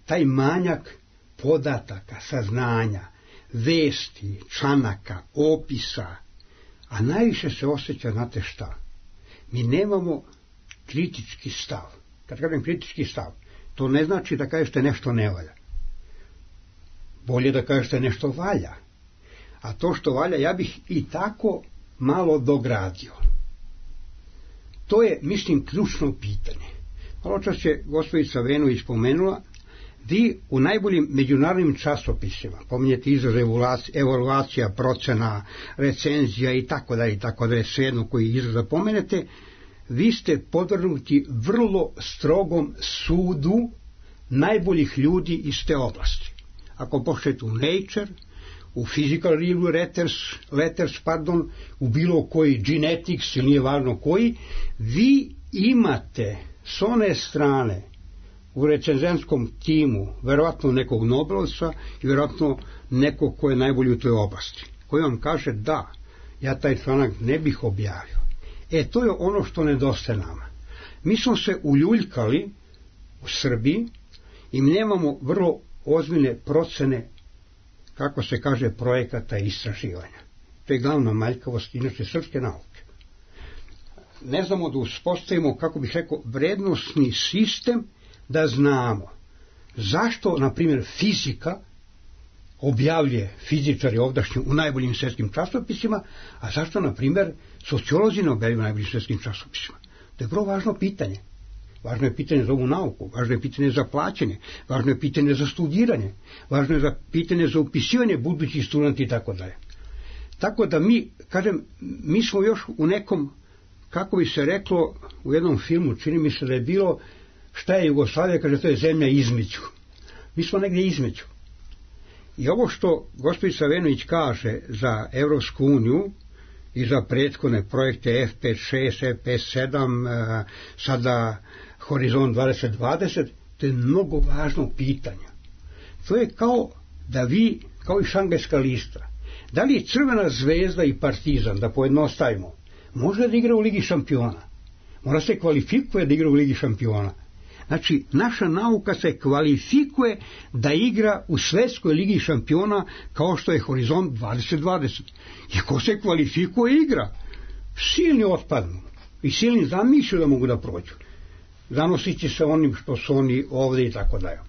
taj manjak podataka, saznanja, vesti, članaka, opisa, a najviše se osjeća, znate šta? Mi nemamo kritički stav. Kad kažem kritički stav, to ne znači da kažete nešto ne valja. Bolje da kažete nešto valja. A to što valja, ja bih i tako malo dogradio. To je, mislim, ključno pitanje. Malo čas je gospođica Venović spomenula, vi u najboljim međunarodnim časopisima, pominjete izraz evaluacija, procena, recenzija i tako dalje, svejedno koji izraz da pomenete, vi ste podvrgnuti vrlo strogom sudu najboljih ljudi iz te oblasti. Ako pošljete u Nature, u Physical Review Letters, u bilo koji Genetics ili nije važno koji, vi imate s one strane u recenzenskom timu verovatno nekog Nobelovca i verovatno nekog ko je najbolji u toj oblasti, koji vam kaže da, ja taj članak ne bih objavio. To je ono što nedostaje nama. Mi smo se uljuljkali u Srbiji i mi nemamo vrlo ozbiljne procene, kako se kaže, projekata i istraživanja. To je glavna manjkavost inače srpske nauke. ne znamo da uspostavimo, kako bih rekao, vrednostni sistem da znamo zašto, na primjer, fizika objavljuje fizičari ovdašnji u najboljim svjetskim časopisima, a zašto, na primjer, sociolozi ne objavljuju u najboljim svjetskim časopisima. To je vrlo važno pitanje. Važno je pitanje za ovu nauku, važno je pitanje za plaćanje, važno je pitanje za studiranje, važno je pitanje za upisivanje budućih studenta i tako dalje. Tako da mi smo još u nekom, kako bi se reklo, u jednom filmu, čini mi se da je bilo šta je Jugoslavija, kaže to je zemlja između. Mi smo negdje između. I ovo što gospođica Venović kaže za Evropsku uniju i za prethodne projekte F5-6, F5-7, sada Horizont 2020, to je mnogo važno pitanje. To je kao da vi, kao i Šangajska lista, da li Crvena zvezda i Partizan, da pojednostavimo, može da igra u Ligi šampiona? Mora se kvalifikuje da igra u Ligi šampiona. Znači, naša nauka se kvalifikuje da igra u Svjetskoj ligi šampiona kao što je Horizont 2020. I ko se kvalifikuje igra, silni otpadnu i silni zamišlju da mogu da prođu. Zanosit će se onim što su oni ovdje i tako dalje.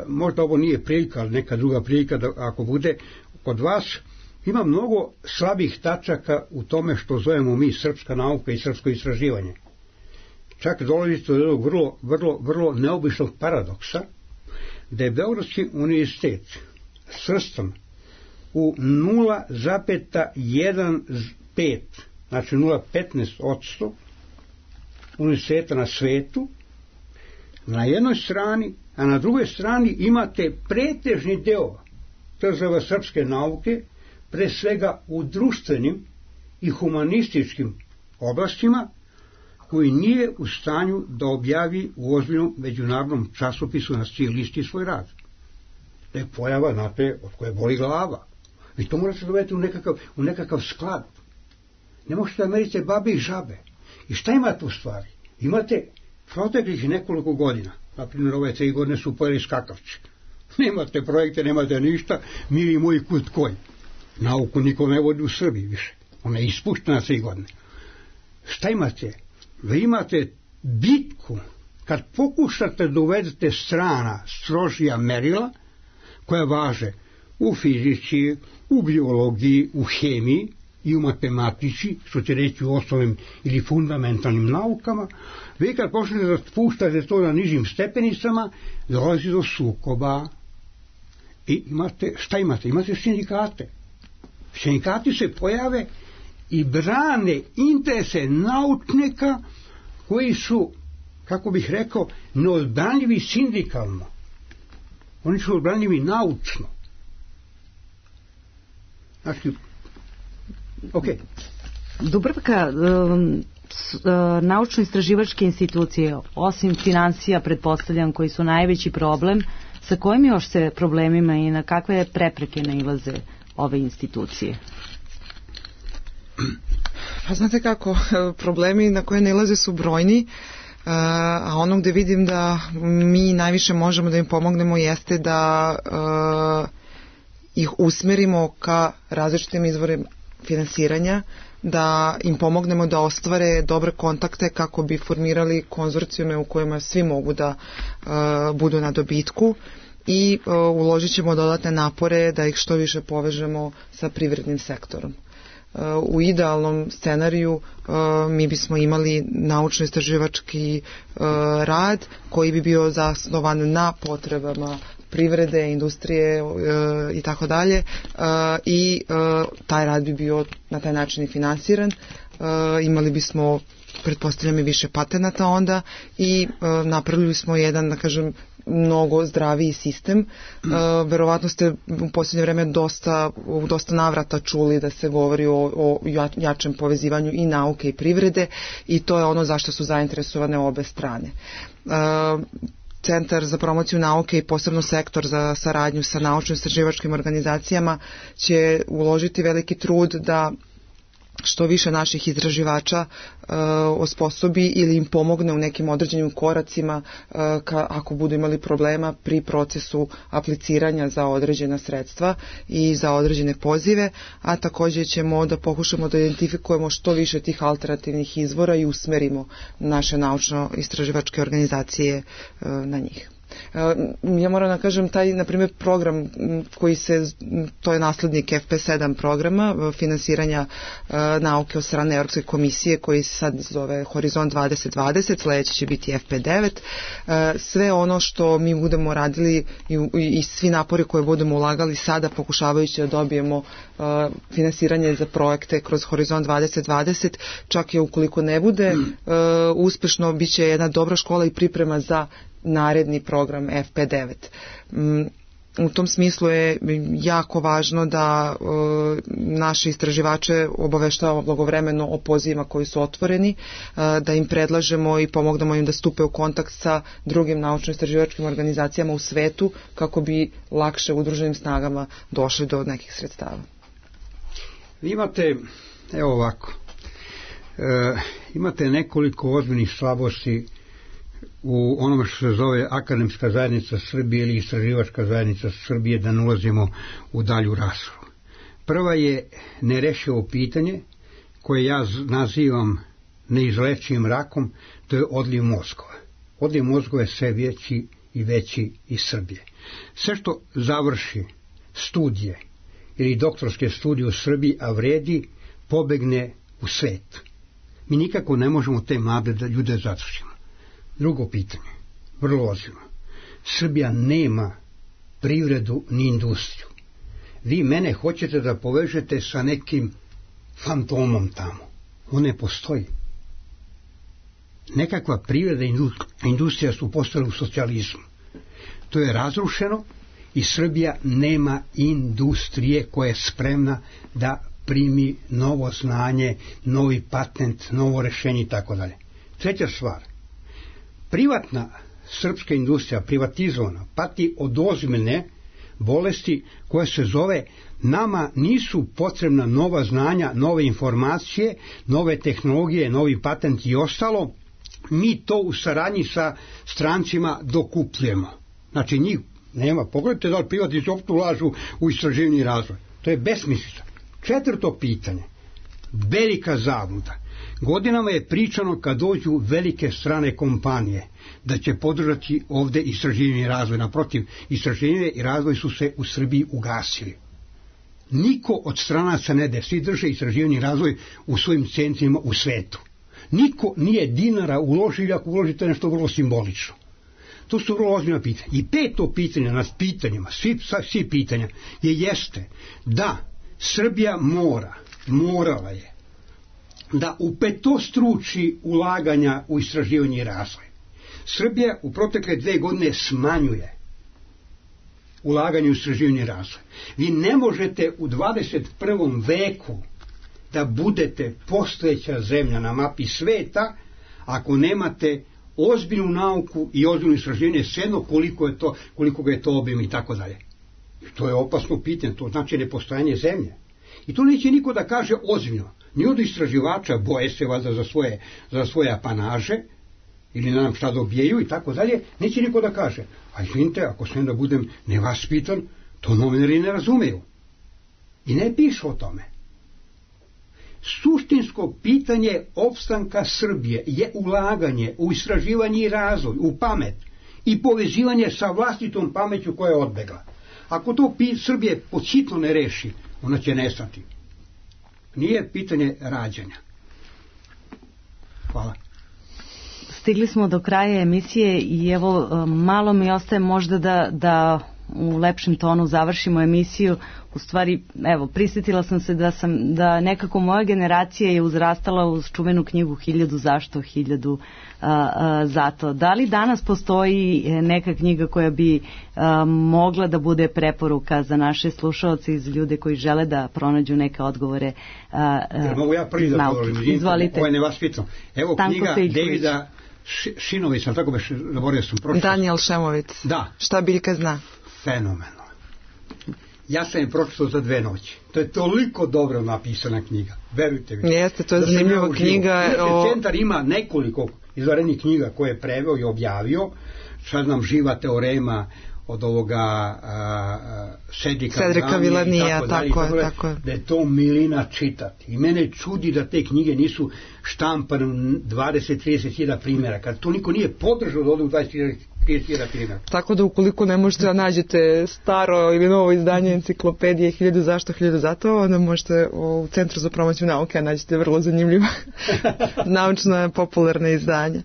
Možda ovo nije prilika, ali neka druga prilika da ako bude kod vas, ima mnogo slabih tačaka u tome što zovemo mi srpska nauka i srpsko istraživanje. Čak dolazite do jednog vrlo neobičnog paradoksa, da je Beogradski univerzitet svrstan u 0,15, znači 0,15% univerziteta na svetu, na jednoj strani, a na drugoj strani imate pretežni deo tzv. Srpske nauke, pre svega u društvenim i humanističkim oblastima, koji nije u stanju da objavi u ozbiljnom međunarodnom časopisu na listi svoj rad. To je pojava, znate, od koje boli glava. Vi to morate dovesti u nekakav sklad. Ne možete da merite babe i žabe. I šta imate u stvari? Imate proteklih nekoliko godina, na primjer ove 3 godine su pojeli skakavci. Nemate projekte, nemate ništa, mili moji kud koji. Nauku niko ne vodi u Srbiji više. Ona je ispuštena 3 godine. Šta imate? Vi imate bitku kad pokušate da uvedete strana strožija merila koja važe u fizici, u biologiji, u hemiji i u matematici, što će reći u osnovnim ili fundamentalnim naukama, vi kad počnete da spuštate to na nižim stepenicama, dolazi do sukoba. I šta imate? Imate sindikate. Sindikati se pojave i brane interese naučnika koji su, kako bih rekao, neodbranljivi sindikalno. Oni su odbranljivi naučno. Znači, Dubravka, naučno-istraživačke institucije, osim financija, pretpostavljam, koji su najveći problem, sa kojim još se problemima i na kakve prepreke nailaze ove institucije? Pa znate kako, problemi na koje nailaze su brojni, a ono gde vidim da mi najviše možemo da im pomognemo jeste da ih usmerimo ka različitim izvorima finansiranja, da im pomognemo da ostvare dobre kontakte kako bi formirali konzorcijume u kojima svi mogu da budu na dobitku i uložit ćemo dodatne napore da ih što više povežemo sa privrednim sektorom. U idealnom scenariju mi bismo imali naučno-istraživački rad koji bi bio zasnovan na potrebama privrede, industrije i tako dalje i taj rad bi bio na taj način i finansiran. Imali bismo, pretpostavljam, i više patenata onda i napravili smo jedan, da kažem, mnogo zdraviji sistem. Verovatno ste u posljednje vreme u dosta navrata čuli da se govori o jačem povezivanju i nauke i privrede i to je ono zašto su zainteresovane obe strane. Centar za promociju nauke i posebno sektor za saradnju sa naučno-istraživačkim organizacijama će uložiti veliki trud da što više naših istraživača osposobi ili im pomogne u nekim određenim koracima ako budu imali problema pri procesu apliciranja za određena sredstva i za određene pozive, a također ćemo da pokušamo da identifikujemo što više tih alternativnih izvora i usmerimo naše naučno-istraživačke organizacije na njih. Ja moram da kažem, taj, na primjer, program koji to je naslednik FP7 programa finansiranja nauke od strane Europske komisije, koji se sad zove Horizont 2020, sledeće će biti FP9. Sve ono što mi budemo radili i svi napori koje budemo ulagali sada, pokušavajući da dobijemo finansiranje za projekte kroz Horizont 2020, čak i ukoliko ne bude uspešno, bit će jedna dobra škola i priprema za naredni program FP9. U tom smislu je jako važno da naše istraživače obaveštavamo blagovremeno o pozivima koji su otvoreni, da im predlažemo i pomognemo im da stupe u kontakt sa drugim naučno-istraživačkim organizacijama u svetu kako bi lakše udruženim snagama došli do nekih sredstava. Vi imate, evo ovako, imate nekoliko ozbiljnih slabosti u onome što se zove akademska zajednica Srbije ili istraživačka zajednica Srbije, da ne ulazimo u dalju raspravu. Prva je nerešivo pitanje koje ja nazivam neizlečivim rakom, to je odliv mozgova. Odliv mozgova je sve veći i veći iz Srbije. Sve što završi studije ili doktorske studije u Srbiji, a vredi, pobegne u svet. Mi nikako ne možemo te mlade ljude zadržimo. Drugo pitanje, vrlo ozbiljno. Srbija nema privredu ni industriju. Vi mene hoćete da povežete sa nekim fantomom tamo. On ne postoji. Nekakva privreda i industrija su postale u socijalizmu. To je razrušeno i Srbija nema industrije koja je spremna da primi novo znanje, novi patent, novo rešenje i tako dalje. Treća stvar. Privatna srpska industrija, privatizovana, pati od ozbiljne bolesti koja se zove nama nisu potrebna nova znanja, nove informacije, nove tehnologije, novi patent i ostalo, mi to u saradnji sa strancima dokupljujemo. Znači njih nema. Pogledajte da li privatnici opet ulažu u istraživanje i razvoj. To je besmislica. Četvrto pitanje, velika zabluda. Godinama je pričano kad dođu velike strane kompanije da će podržati ovde istraživanje i razvoj. Naprotiv, istraživanje i razvoj su se u Srbiji ugasili. Niko od stranaca ne de, svi drže istraživanje i razvoj u svojim centrima u svetu. Niko nije dinara uložio, ako uložite nešto vrlo simbolično. To su vrlo ozbiljna pitanja. I peto pitanje nad pitanjima, svi pitanja, jeste da Srbija morala je da upetostruči ulaganja u istraživanje i razvoj. Srbija u protekle 2 godine smanjuje ulaganje u istraživanje i razvoj. Vi ne možete u 21. veku da budete postojeća zemlja na mapi sveta ako nemate ozbiljnu nauku i ozbiljno istraživanje, svejedno koliko ga je to obim i tako dalje. To je opasno pitanje, to znači nepostojanje zemlje. I to neće niko da kaže ozbiljno. Ni od istraživača, boje se valjda za svoje apanaže, ili ne znam šta dobijaju i tako dalje, neće niko da kaže. A izvinite, ako sam da budem nevaspitan, to novinari ne razumeju. I ne pišu o tome. Suštinsko pitanje opstanka Srbije je ulaganje u istraživanje i razvoj, u pamet i povezivanje sa vlastitom pameću koja je odbegla. Ako to Srbije podsitno ne reši, ona će nestati. Nije pitanje rađanja. Hvala. Stigli smo do kraja emisije i evo malo mi ostaje možda da u lepšem tonu završimo emisiju. U stvari, evo, prisjetila sam se da nekako moja generacija je uzrastala uz čuvenu knjigu 1000 zašto, 1000 zato. Da li danas postoji neka knjiga koja bi mogla da bude preporuka za naše slušaoce i za ljude koji žele da pronađu neke odgovore mogu ja prvi da govorim? Izvolite. Ovo je nevaspitno. Evo knjiga Davida Šinovića, tako beš, zaboravio sam prošlo. Danijel Šemović. Da. Šta biljka zna? Fenomenalno. Ja sam je pročitao za 2 noći. To je toliko dobro napisana knjiga. Verujte mi. Jeste, to je zanimljiva knjiga. Centar ima nekoliko izvanrednih knjiga koje je preveo i objavio. Sad nam Živa teorema od ovoga Cedrika Villanija, tako je. Da je to milina čitati. I mene čudi da te knjige nisu štampane 20-30 primjera. Kad to niko nije podržao da ode u 20-30 primjera. Tako da ukoliko ne možete da nađete staro ili novo izdanje enciklopedije 1000 zašto, 1000 zato, onda možete u Centru za promociju nauke nađete vrlo zanimljiva naučna popularna izdanja.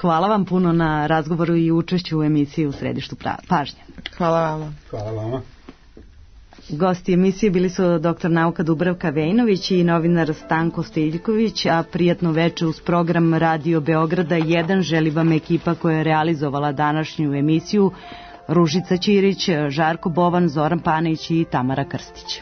Hvala vam puno na razgovoru i učešću u emisiji U središtu pažnje. Hvala vama. Hvala vama. Gosti emisije bili su dr. nauka Dubravka Vejnović i novinar Stanko Stiljković, a prijatno veče uz program Radio Beograda 1 želi vam ekipa koja je realizovala današnju emisiju: Ružica Ćirić, Žarko Bovan, Zoran Panić i Tamara Krstić.